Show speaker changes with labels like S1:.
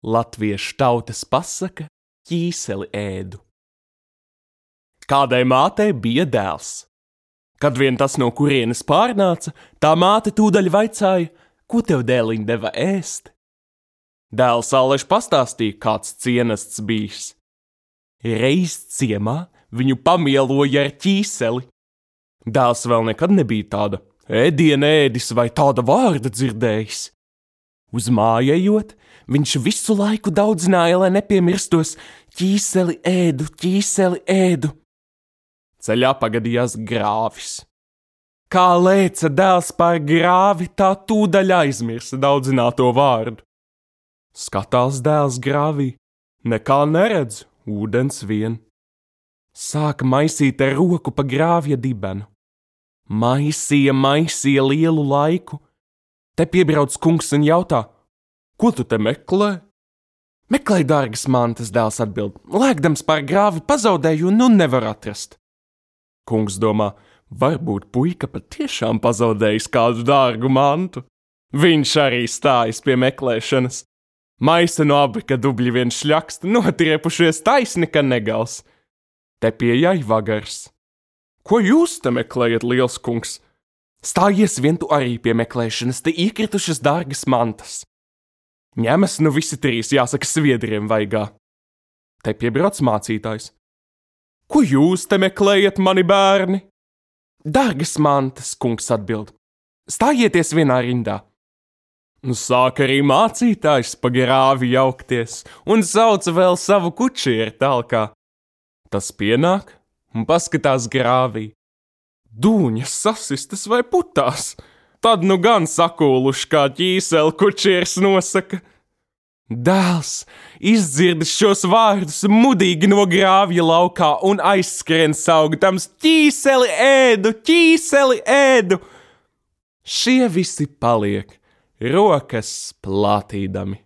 S1: Latviešu tautas pasaka ķīseli ēdu. Kādai mātei bija dēls. Kad vien tas no kurienes pārnāca, tā māte tūdaļ vaicāja, ko tev dēliņ deva ēst? Dēls Aleši pastāstīja, kāds cienests bijis. Reiz ciemā viņu pamieloja ar ķīseli. Dēls vēl nekad nebija tāda ēdiena ēdis vai tāda vārda dzirdējis. Uz māju ejot, viņš visu laiku daudzināja, lai nepiemirstos ķīseli ēdu, ķīseli ēdu. Ceļā pagadījās grāvis. Kā lēca dēls pār grāvi, tā tūdaļ aizmirsa daudzināto vārdu. Skatās dēls grāvī, nekā neredz, ūdens vien. Sāka maisīt ar roku pa grāvja dibenu. Maisīja lielu laiku. Te piebrauc kungs un jautā, ko tu te meklē? Meklēju dārgas mantas, dēls atbild. Lēkdams pār grāvi pazaudēju un nu nevar atrast. Kungs domā, varbūt puika patiešām pazaudējis kādu dārgu mantu. Viņš arī stājas pie meklēšanas. Maisa no abrika dubļi vien šļakst, notriepušies taisni, ka negals. Te pieejai vagars. Ko jūs te meklējat, liels kungs? Stājies vien tu arī pie meklēšanas, te iekritušas dārgas mantas. Ņemas nu visi trīs, jāsaka, sviedriem vaigā. Te piebrauc mācītājs. Ko jūs te meklējat, mani bērni? Dārgas mantas, kungs atbild. Stājieties vienā rindā. Nu sāk arī mācītājs pa grāvi jaukties un sauc vēl savu kučieru talkā. Tas pienāk un paskatās grāvī. Dūņas sasistas vai putās? Tad nu gan sakūluši, kā ķīseli kučieris nosaka. Dēls izdzirdis šos vārdus mudīgi no grāvja laukā un aizskrien saugdams ķīseli ēdu, ķīseli ēdu. Šie visi paliek rokas plātīdami.